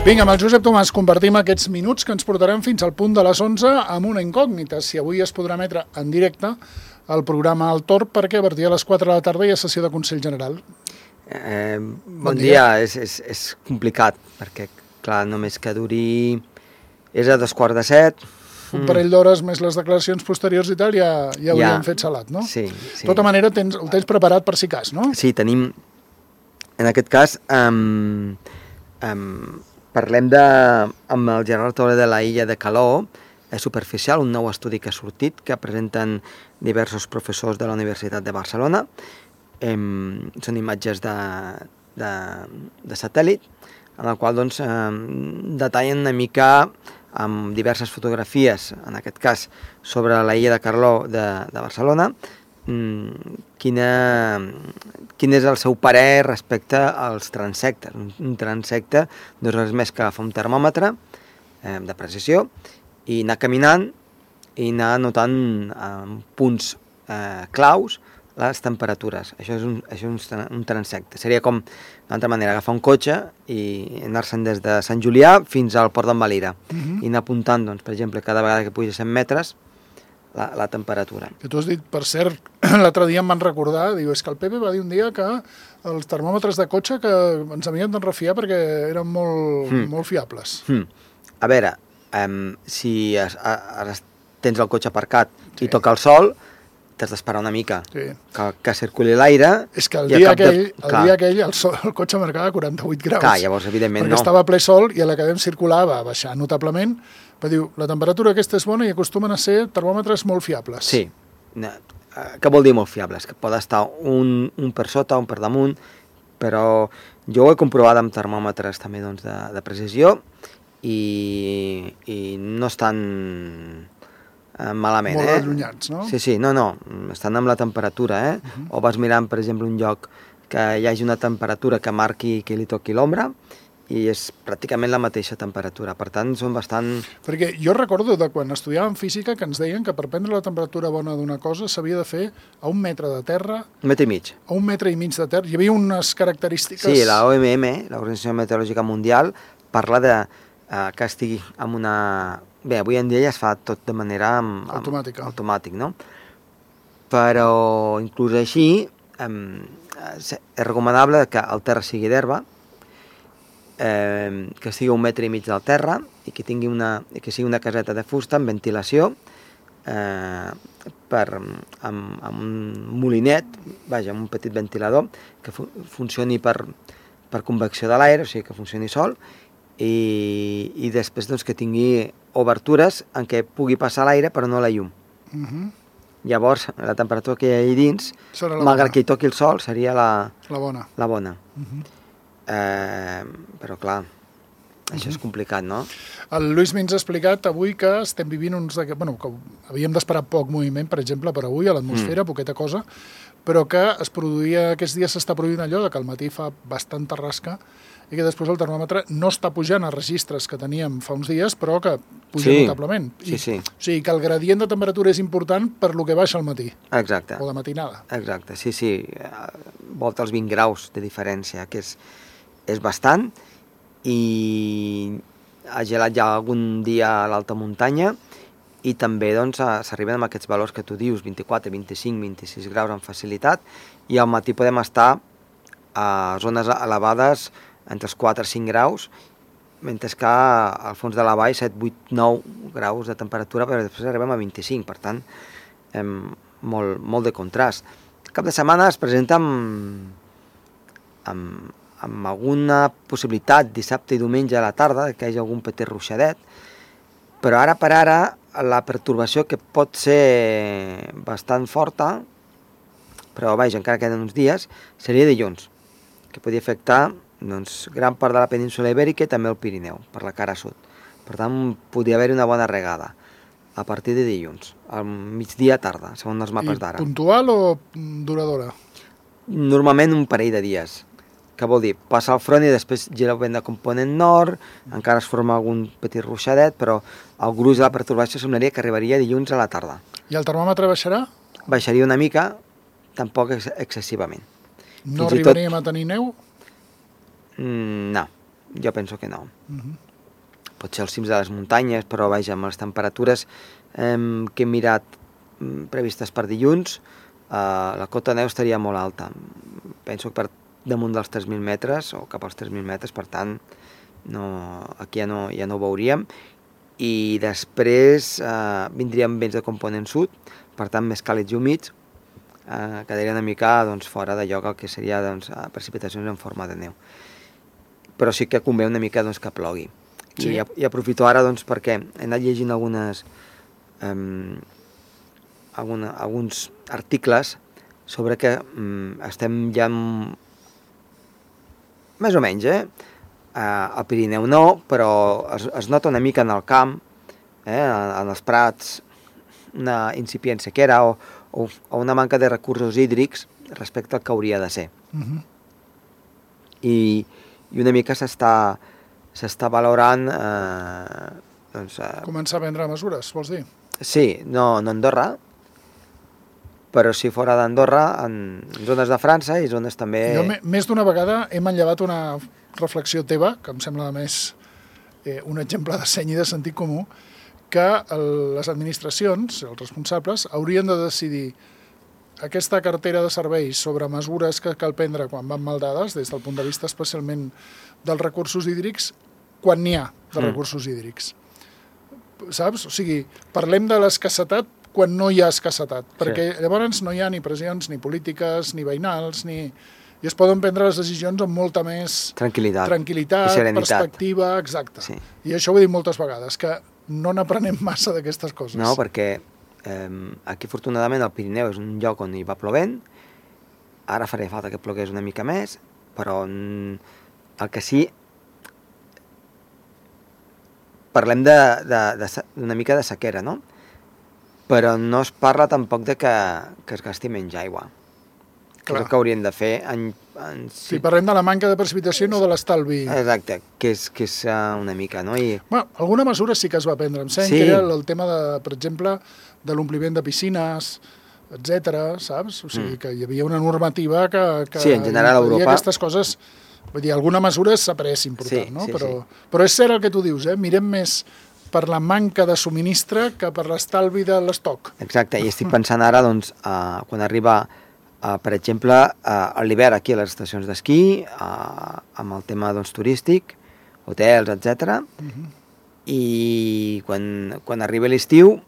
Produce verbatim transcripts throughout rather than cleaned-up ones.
Vinga, amb el Josep Tomàs compartim aquests minuts que ens portaran fins al punt de les onze amb una incògnita, si avui es podrà emetre en directe el programa El Torb, perquè a partir de les quatre de la tarda hi ha sessió de Consell General. Eh, bon, bon dia, dia. És, és, és complicat, perquè, clar, només que duri... És a dos quarts de set... Un parell d'hores més les declaracions posteriors i tal, ja, ja hauríem ja. fet salat, no? Sí, sí. De tota manera, tens, el tens preparat per si cas, no? Sí, tenim... En aquest cas, um, um, parlem de, amb el Gerard Torre de la Illa de Caló, és superficial, un nou estudi que ha sortit, que presenten diversos professors de la Universitat de Barcelona. Um, són imatges de, de, de satèl·lit, en el qual doncs, um, detallen una mica amb diverses fotografies, en aquest cas, sobre la illa de Carló de, de Barcelona, um, quina, quin és el seu parer respecte als transectes. Un, un transecte no és res més que agafar un termòmetre eh, de precisió i anar caminant i anar anotant en punts eh, claus les temperatures. Això és un, això és un, un transecte. Seria com, d'altra manera, agafar un cotxe i anar-se'n des de Sant Julià fins al Port d'en Valira. Uh-huh. I anar apuntant, doncs, per exemple, cada vegada que pugi cent metres, la, la temperatura. Que tu has dit, per cert, l'altre dia em van recordar, diu, és que el Pepe va dir un dia que els termòmetres de cotxe que ens havien d'enrefiar perquè eren molt, mm. molt fiables. Mm. A veure, um, si es, es, tens el cotxe aparcat sí. i toca el sol, t'has d'esperar una mica, sí. que, que circuli l'aire... És que el dia aquell, de... el, dia aquell el, sol, el cotxe marcava quaranta-vuit graus. Clar, llavors, evidentment, perquè no. Perquè estava ple sol i a la que vam circular va baixar notablement. Però diu, la temperatura aquesta és bona i acostumen a ser termòmetres molt fiables. Sí. Què vol dir molt fiables? Que pot estar un, un per sota, un per damunt, però jo ho he comprovat amb termòmetres també doncs, de, de precisió i, i no estan... malament, molt eh? Molt allunyats, no? Sí, sí, no, no, estan amb la temperatura, eh? Uh-huh. O vas mirant, per exemple, un lloc que hi hagi una temperatura que marqui que li toqui l'ombra i és pràcticament la mateixa temperatura, per tant, són bastant... Perquè jo recordo de quan estudiàvem física que ens deien que per prendre la temperatura bona d'una cosa s'havia de fer a un metre de terra... Un metre i mig. A un metre i mig de terra. Hi havia unes característiques... Sí, la O M M, l'Organització Meteorològica Mundial, parla de eh, que estigui amb una... Bé, avui en dia ja es fa tot de manera... Amb, amb, automàtica. Automàtic, no? Però, inclús així, eh, és recomanable que el terra sigui d'herba, eh, que sigui un metre i mig del terra i que tingui una, que sigui una caseta de fusta amb ventilació, eh, per, amb, amb un molinet, vaja, amb un petit ventilador, que fu funcioni per, per convecció de l'aire, o sigui, que funcioni sol, i, i després doncs, que tingui obertures en què pugui passar l'aire però no la llum. Uh-huh. Llavors, la temperatura que hi ha allà dins, malgrat que hi toqui el sol, seria la, la bona. La bona. Uh-huh. eh, però clar, això uh-huh. és complicat, no? El Lluís Mins ha explicat avui que estem vivint uns... De... Bueno, que havíem d'esperar poc moviment, per exemple, per avui, a l'atmosfera, mm. poqueta cosa, però que es produïa, aquests dies s'està produint allò de que al matí fa bastanta rasca i que després el termòmetre no està pujant a registres que teníem fa uns dies, però que puja sí. notablement. I, sí, sí. O sigui, que el gradient de temperatura és important per lo que baixa al matí. Exacte. O de matinada. Exacte, sí, sí. Volta els vint graus de diferència, que és, és bastant, i ha gelat ja algun dia a l'alta muntanya, i també doncs, s'arriben amb aquests valors que tu dius, vint-i-quatre, vint-i-cinc, vint-i-sis graus amb facilitat, i al matí podem estar a zones elevades entre els quatre i cinc graus, mentre que al fons de la vall set, vuit, nou graus de temperatura, però després arribem a vint-i-cinc, per tant, hem, molt, molt de contrast. El cap de setmana es presenta amb, amb, amb alguna possibilitat dissabte i diumenge a la tarda que hi hagi algun petit ruixadet, però ara per ara la pertorbació que pot ser bastant forta, però vaja, encara queden uns dies, seria dilluns, que podria afectar doncs, gran part de la península ibèrica i també el Pirineu, per la cara sud. Per tant, podria haver-hi una bona regada a partir de dilluns, al migdia tarda, segons els mapes d'ara. I puntual o duradora? Normalment un parell de dies. Què vol dir? Passa el front i després gira el vent de component nord, encara es forma algun petit ruixadet, però el gruix de la pertorbació semblaria que arribaria dilluns a la tarda. I el termòmetre baixarà? Baixaria una mica, tampoc ex excessivament. No arribaríem tot... a tenir neu? Mm, no, jo penso que no. Uh-huh. Potser als cims de les muntanyes, però vaja, amb les temperatures eh, que he mirat previstes per dilluns, eh, la cota de neu estaria molt alta. Penso que per damunt dels tres mil metres o cap als tres mil metres, per tant, no, aquí ja no, ja no ho veuríem. I després eh, vindrien vents de component sud, per tant, més càlids i humits, eh, quedaria una mica doncs, fora de lloc el que seria doncs, precipitacions en forma de neu. Però sí que convé una mica doncs, que plogui. Sí. I, I aprofito ara doncs, perquè he anat llegint algunes, um, alguna, alguns articles sobre que um, estem ja m... més o menys, eh? Uh, al Pirineu no, però es, es nota una mica en el camp, eh? en, en els prats, una incipient sequera o, o, o una manca de recursos hídrics respecte al que hauria de ser. Uh-huh. I, I una mica s'està s'està valorant... Eh, doncs, eh... Començar a prendre mesures, vols dir? Sí, no, no a Andorra, però si fora d'Andorra, en zones de França i zones també... Jo més d'una vegada he manllevat una reflexió teva, que em sembla més eh, un exemple de seny i de sentit comú, que el, les administracions, els responsables, haurien de decidir aquesta cartera de serveis sobre mesures que cal prendre quan van mal dades, des del punt de vista especialment dels recursos hídrics, quan n'hi ha de mm. recursos hídrics. Saps? O sigui, parlem de l'escassetat quan no hi ha escassetat, perquè sí. Llavors no hi ha ni pressions, ni polítiques, ni veïnals, ni... i es poden prendre les decisions amb molta més tranquil·litat, tranquil·litat perspectiva, exacte. Sí. I això ho he dit moltes vegades, que no n'aprenem massa d'aquestes coses. No, perquè eh, aquí afortunadament el Pirineu és un lloc on hi va plovent, ara faria falta que plogués una mica més, però el que sí, parlem d'una mica de sequera, no? Però no es parla tampoc de que, que es gasti menys aigua. Que és el que haurien de fer. En, en... Sí, parlem de la manca de precipitació, no de l'estalvi. Exacte, que és, que és una mica, no? I... Bueno, alguna mesura sí que es va prendre. Em sembla sí. que era el tema, de, per exemple, de l'ompliment de piscines, etcètera, saps? O sigui, mm. que hi havia una normativa que, que sí, en general a Europa... aquestes coses... Vull dir, alguna mesura s'ha pres important, sí, no? Sí, però, sí. però és cert el que tu dius, eh? Mirem més per la manca de subministre que per l'estalvi de l'estoc. Exacte, i estic pensant ara, doncs, uh, quan arriba, uh, per exemple, uh, a l'hivern aquí a les estacions d'esquí, uh, amb el tema doncs, turístic, hotels, etcètera. Uh-huh. I quan, quan arriba l'estiu,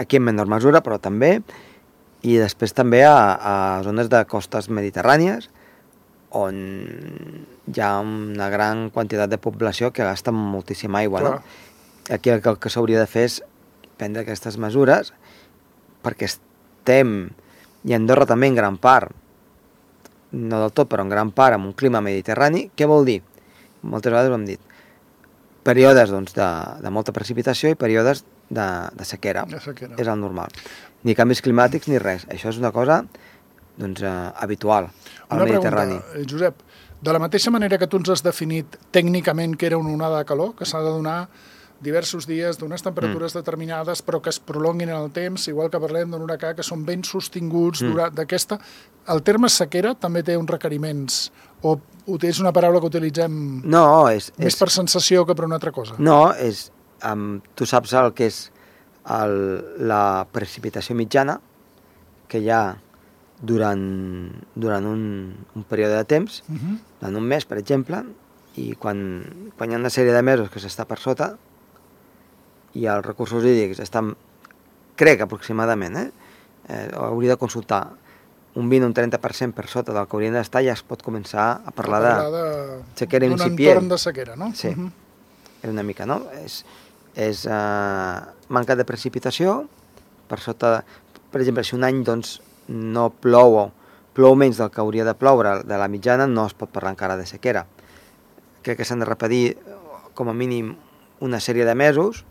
aquí en menor mesura, però també, i després també a, a zones de costes mediterrànies, on hi ha una gran quantitat de població que gasta moltíssima aigua, Clar. no? Aquí el que, el que s'hauria de fer és prendre aquestes mesures perquè estem, i Andorra també en gran part, no del tot, però en gran part, amb un clima mediterrani. Què vol dir? Moltes vegades ho hem dit. Períodes doncs, de, de molta precipitació i períodes de, de sequera. De sequera. És el normal. Ni canvis climàtics ni res. Això és una cosa doncs, eh, habitual al una Mediterrani. Pregunta, Josep, de la mateixa manera que tu ens has definit tècnicament que era una onada de calor, que s'ha de donar diversos dies d'unes temperatures mm. determinades però que es prolonguin en el temps, igual que parlem d'un huracà que són ben sostinguts mm. d'aquesta... El terme sequera també té uns requeriments o és una paraula que utilitzem no, és, més és... per sensació que per una altra cosa? No, és... Um, tu saps el que és el, la precipitació mitjana que hi ha durant, durant un, un període de temps, uh-huh. en un mes, per exemple, i quan, quan hi ha una sèrie de mesos que s'està per sota i els recursos hídrics estan, crec aproximadament, eh? eh hauria de consultar un vint o un trenta per cent per sota del que haurien d'estar, ja es pot començar a parlar, a parlar de, de sequera incipient. D'un entorn de sequera, no? Sí, uh-huh. és una mica, no? És, és uh, manca de precipitació, per sota, per exemple, si un any doncs, no plou, plou menys del que hauria de ploure de la mitjana, no es pot parlar encara de sequera. Crec que s'han de repetir com a mínim una sèrie de mesos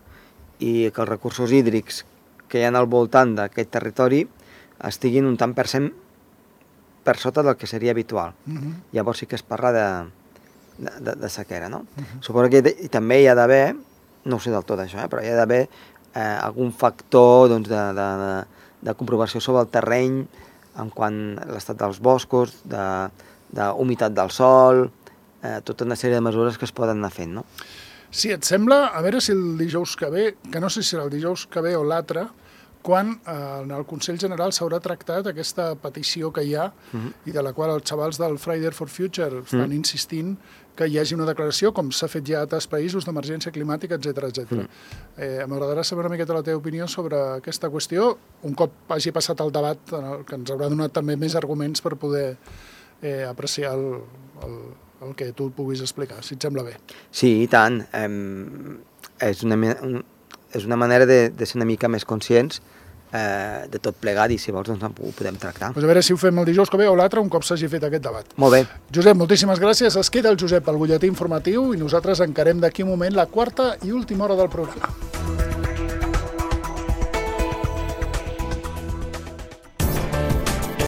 i que els recursos hídrics que hi ha al voltant d'aquest territori estiguin un tant per cent per sota del que seria habitual. Uh-huh. Llavors sí que es parla de, de, de sequera, no? Uh-huh. Suposo que de, i també hi ha d'haver, no ho sé del tot això, eh, però hi ha d'haver eh, algun factor doncs, de, de, de, de comprovació sobre el terreny en quant a l'estat dels boscos, de, de humitat del sòl, eh, tota una sèrie de mesures que es poden anar fent, no? Si et sembla, a veure si el dijous que ve, que no sé si serà el dijous que ve o l'altre, quan eh, en el Consell General s'haurà tractat aquesta petició que hi ha uh-huh. i de la qual els xavals del Friday for Future estan uh-huh. insistint que hi hagi una declaració, com s'ha fet ja a altres països, d'emergència climàtica, etcètera, etcètera. Uh-huh. Eh, M'agradarà saber una miqueta la teva opinió sobre aquesta qüestió, un cop hagi passat el debat, en el que ens haurà donat també més arguments per poder eh, apreciar el, el, el que tu puguis explicar, si et sembla bé. Sí, i tant. Eh, és, una, un, és una manera de, de ser una mica més conscients eh, de tot plegat i si vols doncs ho podem tractar. Pues a veure si ho fem el dijous que ve o l'altre un cop s'hagi fet aquest debat. Molt bé. Josep, moltíssimes gràcies. Es queda el Josep al butlletí informatiu i nosaltres encarem d'aquí un moment la quarta i última hora del programa.